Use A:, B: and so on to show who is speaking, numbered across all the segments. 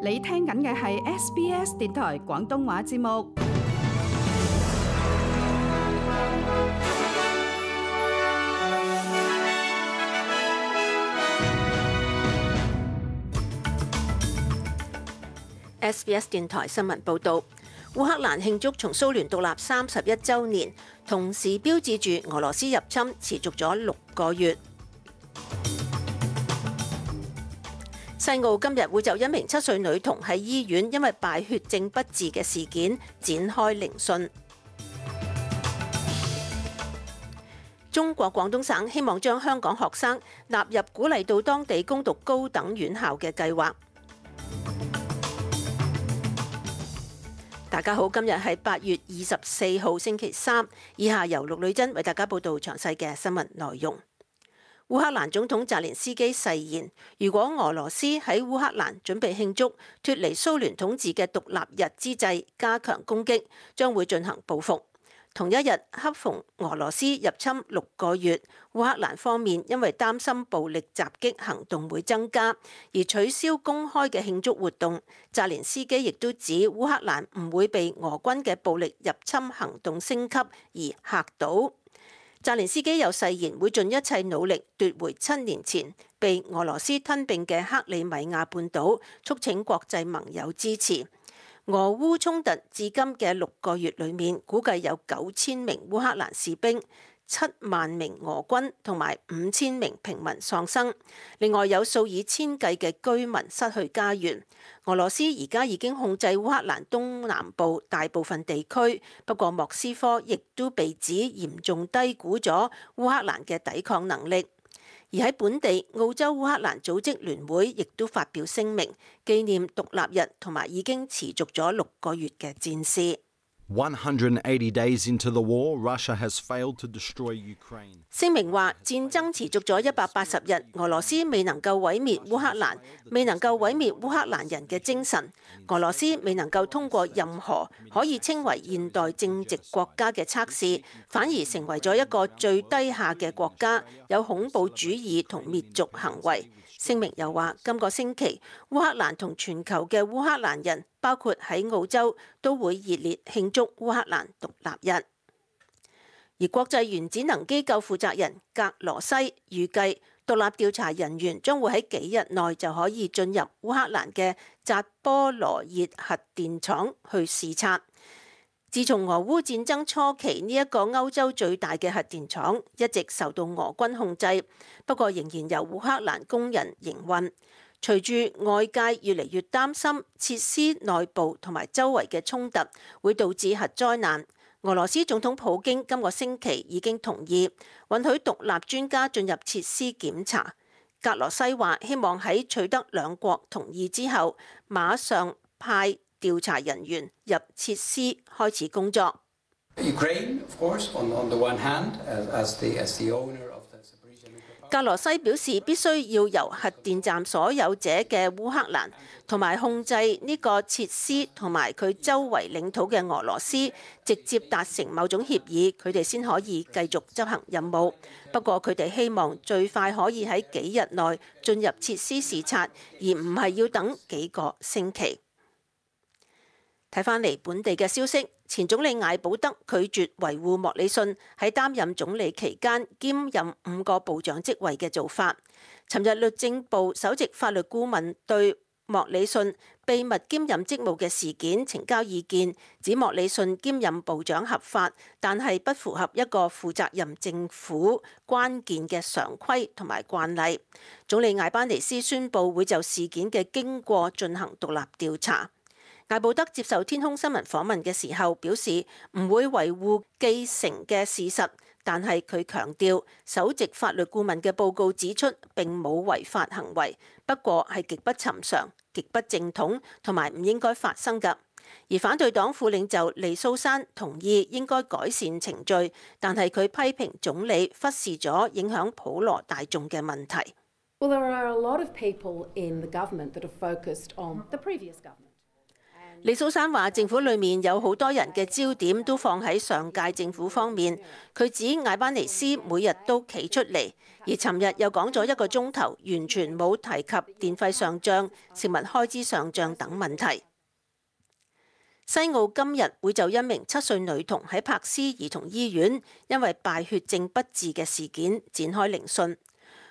A: 你聽緊嘅係 SBS 電台廣東話節目。
B: SBS 電台新聞報導，烏克蘭慶祝從蘇聯獨立31週年，同時標誌住俄羅斯入侵持續咗6個月。西澳今日會就一名7歲女童喺醫院因為敗血症不治嘅事件展開聆訊。中國廣東省希望將香港學生納入鼓勵到當地攻讀高等院校嘅計劃。大家好，今日係8月24號星期三，以下由陸女真為大家報道詳細嘅新聞內容。烏克蘭總統澤連斯基誓言，如果俄羅斯喺烏克蘭準備慶祝脫離蘇聯統治嘅獨立日之際加強攻擊，將會進行報復。同一日，恰逢俄羅斯入侵6個月，烏克蘭方面因為擔心暴力襲擊行動會增加，而取消公開嘅慶祝活動。澤連斯基亦都指烏克蘭唔會被俄軍嘅暴力入侵行動升級而嚇倒。澤連斯基又誓言會盡一切努力奪回7年前被俄羅斯吞併嘅克里米亞半島，促請國際盟友支持。俄烏衝突至今嘅6個月裏面，估計有9000名烏克蘭士兵、7萬名俄軍同埋5000名平民喪生，另外有數以千計嘅居民失去家園。俄羅斯而家已經控制烏克蘭東南部大部分地區，不過莫斯科亦都被指嚴重低估咗烏克蘭嘅抵抗能力。而喺本地，澳洲烏克蘭組織聯會亦都發表聲明，紀念獨立日同埋已經持續咗6個月嘅戰事。
C: 180 days into the war, Russia has failed to destroy Ukraine.
B: 聲明話，戰爭持續咗180日，俄羅斯未能夠毀滅烏克蘭，未能夠毀滅烏克蘭人嘅精神。俄羅斯未能夠通過任何可以稱為現代正直國家嘅測試，反而成為咗一個最低下嘅國家，有恐怖主義同滅族行為。聲明又話，今個星期烏克蘭同全球嘅烏克蘭人，包括喺澳洲，都會熱烈慶祝烏克蘭獨立日。而國際原子能機構負責人格羅西預計，獨立調查人員將會喺幾日內就可以進入烏克蘭嘅扎波羅熱核電廠去視察。自從俄烏戰爭初期，呢一個歐洲最大嘅核電廠一直受到俄軍控制，不過仍然由烏克蘭工人營運。隨住外界越嚟越擔心設施內部同埋周圍嘅衝突會導致核災難，俄羅斯總統普京今個星期已經同意允許獨立專家進入設施檢查。格羅西話希望喺取得兩國同意之後，馬上派調查人員入設施開始工作。格羅西表示，必須要由核電站所有者嘅烏克蘭同埋控制呢個設施同埋佢周圍領土嘅俄羅斯直接達成某種協議，佢哋先可以繼續執行任務。不過佢哋希望最快可以喺幾日內進入設施視察，而唔係要等幾個星期。睇返嚟本地嘅消息，前總理艾保德拒絕維護莫里遜喺擔任總理期間兼任5個部長職位嘅做法。尋日律政部首席法律顧問對莫里遜秘密兼任職務嘅事件呈交意見，指莫里遜兼任部長合法，但係不符合一個負責任政府關鍵嘅常規同埋慣例。總理艾班尼斯宣布會就事件嘅經過進行獨立調查。艾保德接受天空新聞訪問嘅時候表示唔會維護既成嘅事實，但係佢強調首席法律顧問嘅報告指出並冇違法行為，不過係極不尋常、極不正統同埋唔應該發生㗎。而反對黨副領袖利蘇珊同意應該改善程序，但係佢批評總理忽視咗影響普羅大眾嘅問題。
D: Well, there are a lot of people in the government that are focused on the previous government.
B: 李蘇珊話：政府裏面有好多人嘅焦點都放喺上屆政府方面。佢指艾班尼斯每日都企出嚟，而尋日又講咗1個鐘頭，完全冇提及電費上漲、食物開支上漲等問題。西澳今日會就1名7歲女童喺柏斯兒童醫院因為敗血症不治嘅事件展開聆訊。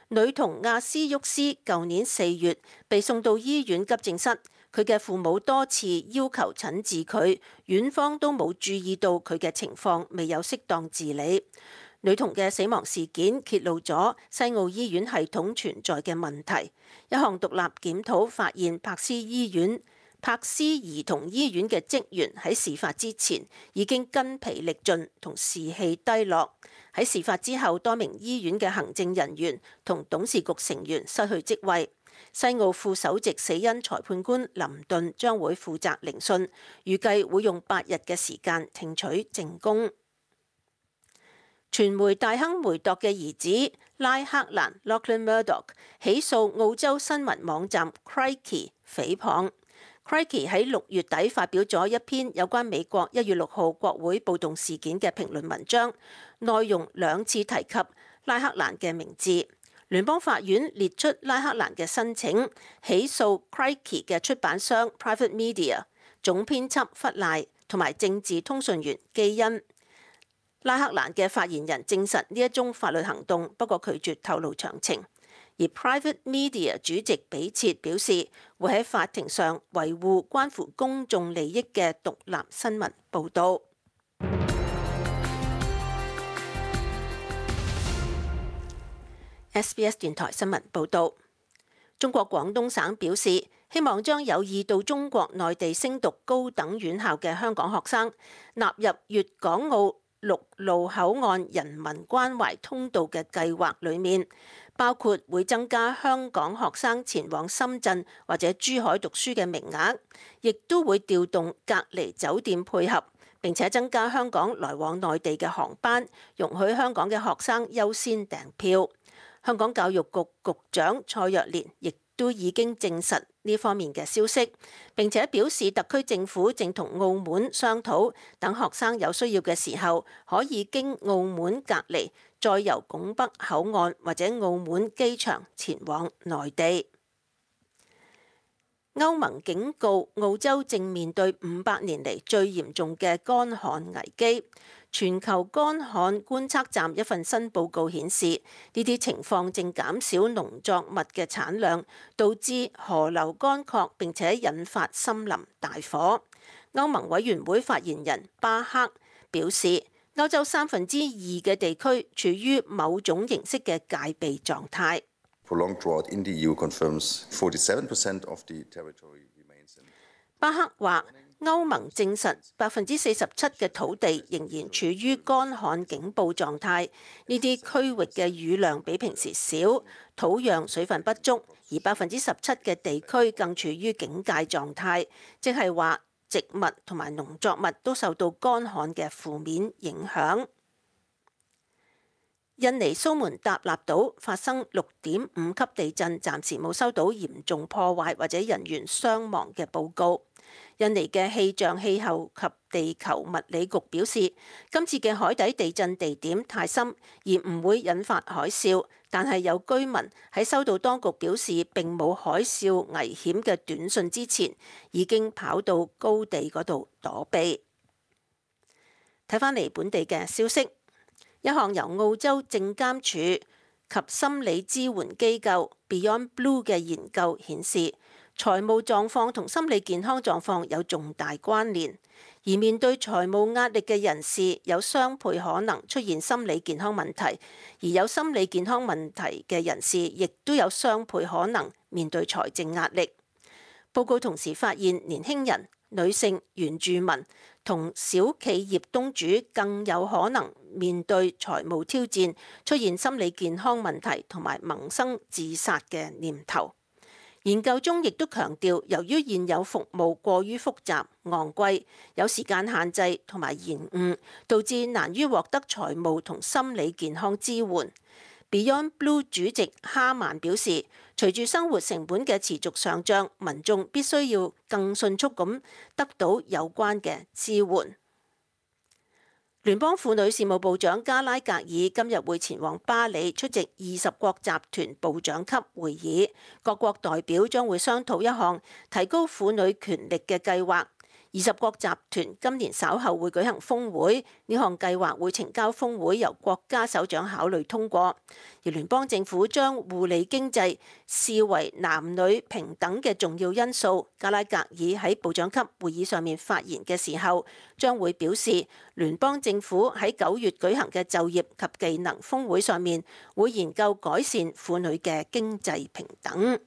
B: 女童亞斯沃斯舊年4月被送到醫院急症室，佢嘅父母多次要求診治佢，院方都冇注意到佢嘅情況未有適當治理。女童嘅死亡事件揭露咗西澳醫院系統存在嘅問題。一項獨立檢討發現，柏斯兒童醫院嘅職員喺事發之前已經筋疲力盡同士氣低落。喺事發之後，多名醫院嘅行政人員同董事局成員失去職位。西澳副首席死因裁判官林頓將會負責聆訊，預計會用8日嘅時間聽取證供。傳媒大亨梅鐸嘅兒子拉克蘭 Lachlan Murdoch 起訴澳洲新聞網站 Crikey 誹謗。Crikey 喺6月底發表咗一篇有關美國1月6號國會暴動事件嘅評論文章，內容2次提及拉克蘭嘅名字。聯邦法院列出拉克蘭嘅申請，起訴 Crikey 嘅出版商 Private Media、總編輯弗賴同埋政治通訊員基恩。拉克蘭嘅發言人證實呢一宗法律行動，不過拒絕透露詳情。而 Private Media 主席比切表示，會喺法庭上維護關乎公眾利益嘅獨立新聞報導。SBS 電台新聞報導，中國廣東省表示，希望將有意到中國內地升讀高等院校嘅香港學生納入粵港澳陸路口岸人民關懷通道嘅計劃裡面，包括會增加香港學生前往深圳或者珠海讀書嘅名額，亦都會調動隔離酒店配合，並且增加香港來往內地嘅航班，容許香港嘅學生優先訂票。香港教育局局長蔡若蓮亦都已經證實呢方面嘅消息，並且表示特區政府正同澳門商討，等學生有需要嘅時候，可以經澳門隔離，再由拱北口岸或者澳門機場前往內地。歐盟警告澳洲正面對500年嚟最嚴重嘅乾旱危機。全球乾旱觀測站一份新報告顯示，呢啲情況正減少農作物嘅產量，導致河流乾涸，並且引發森林大火。歐盟委員會發言人巴克表示，歐洲2/3嘅地區處於某種形式嘅戒備狀態。巴克話，歐盟證實47%嘅土地仍然處於乾旱警報狀態，呢啲區域嘅雨量比平時少，土壤水分不足，而17%嘅地區更處於警戒狀態，即係話植物同埋農作物都受到乾旱嘅負面影響。印尼蘇門答臘島發生6.5級地震，暫時冇收到嚴重破壞或者人員傷亡嘅報告。印尼嘅氣象氣候及地球物理局表示，今次嘅海底地震地點太深，而唔會引發海嘯，但係有居民喺收到當局表示並冇海嘯危險嘅短訊之前，已經跑到高地嗰度躲避。睇返嚟本地嘅消息，一項由澳洲證監署及心理支援機構 Beyond Blue 嘅研究顯示，財務狀況同心理健康狀況有重大關聯，而面對財務壓力嘅人士有雙倍可能出現心理健康問題，而有心理健康問題嘅人士亦都有雙倍可能面對財政壓力。報告同時發現，年輕人、女性、原住民同小企業東主更有可能面對財務挑戰，出現心理健康問題同埋萌生自殺嘅念頭。研究中亦都強調，由於現有服務過於複雜、昂貴，有時間限制同埋延誤，導致難於獲得財務同心理健康支援。Beyond Blue 主席哈曼表示，隨住生活成本嘅持續上漲，民眾必須要更迅速咁得到有關嘅支援。聯邦婦女事務部長加拉格爾今日會前往巴黎出席20國集團部長級會議，各國代表將會商討一項提高婦女權力嘅計劃。20國集團今年稍後會舉行峰會，呢項計劃會呈交峰會由國家首長考慮通過。而聯邦政府將互利經濟視為男女平等嘅重要因素。加拉格爾喺部長級會議上面發言嘅時候，將會表示聯邦政府喺9月舉行嘅就業及技能峰會上面會研究改善婦女嘅經濟平等。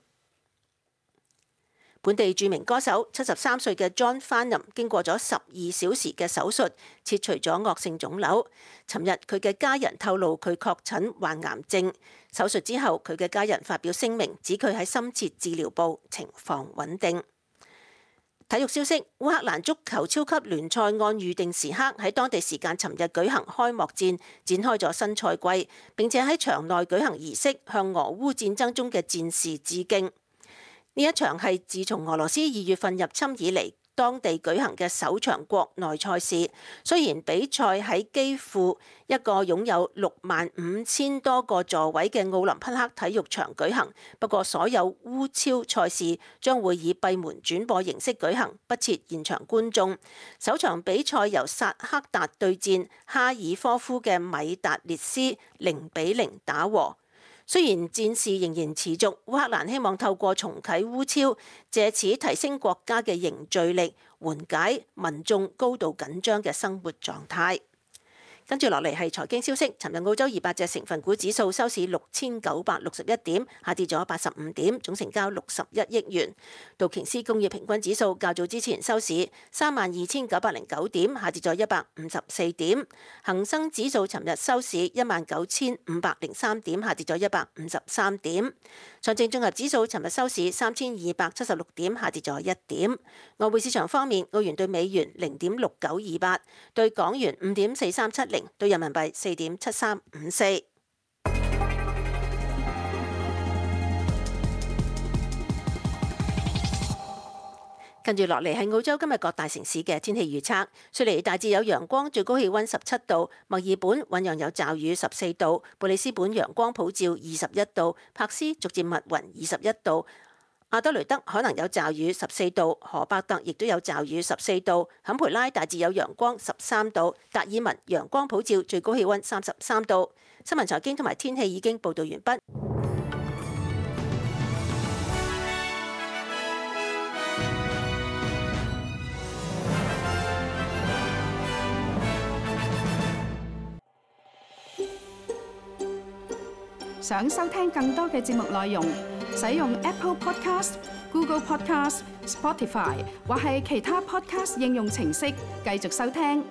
B: 本地著名歌手73歲嘅 John Farnham 經過咗12小時嘅手術，切除咗惡性腫瘤。尋日佢嘅家人透露佢確診患癌症。手術之後，佢嘅家人發表聲明，指佢喺深切治療部，情況穩定。體育消息：烏克蘭足球超級聯賽按預定時刻喺當地時間尋日舉行開幕戰，展開咗新賽季，並且喺場內舉行儀式，向俄烏戰爭中嘅戰士致敬。呢一場係自從俄羅斯2月份入侵以嚟，當地舉行嘅首場國內賽事。雖然比賽喺基輔一個擁有65,000多個座位嘅奧林匹克體育場舉行，不過所有烏超賽事將會以閉門轉播形式舉行，不設現場觀眾。首場比賽由薩克達對戰哈爾科夫嘅米達列斯0-0打和。雖然戰事仍然持續，烏克蘭希望透過重啟烏超，藉此提升國家嘅凝聚力，緩解民眾高度緊張嘅生活狀態。跟住落嚟係財經消息。尋日澳洲200隻成分股指數收市6961點，下跌咗85點，總成交61億元。道瓊斯工業平均指數較早之前收市32,909點，下跌咗154點。恒生指數尋日收市19,503點，下跌咗153點。上證綜合指數尋日收市3,276點，下跌咗1點。外匯市場方面，澳元對美元0.6928，對港元5.4370，對人民幣4.7354。跟住落嚟係澳洲今日各大城市嘅天氣預測。雪梨大致有陽光，最高氣溫17度；墨爾本醞釀有驟雨14度；布里斯本陽光普照21度；柏斯逐漸密雲21度；阿德雷德可能有驟雨14度；荷伯特亦都有驟雨14度；坎培拉大致有陽光13度；達爾文陽光普照，最高氣溫33度。新聞財經同埋天氣已經報道完畢。
A: 想收聽更多嘅節目內容，使用 Apple Podcast、Google Podcast、Spotify 或係其他 Podcast 應用程式繼續收聽。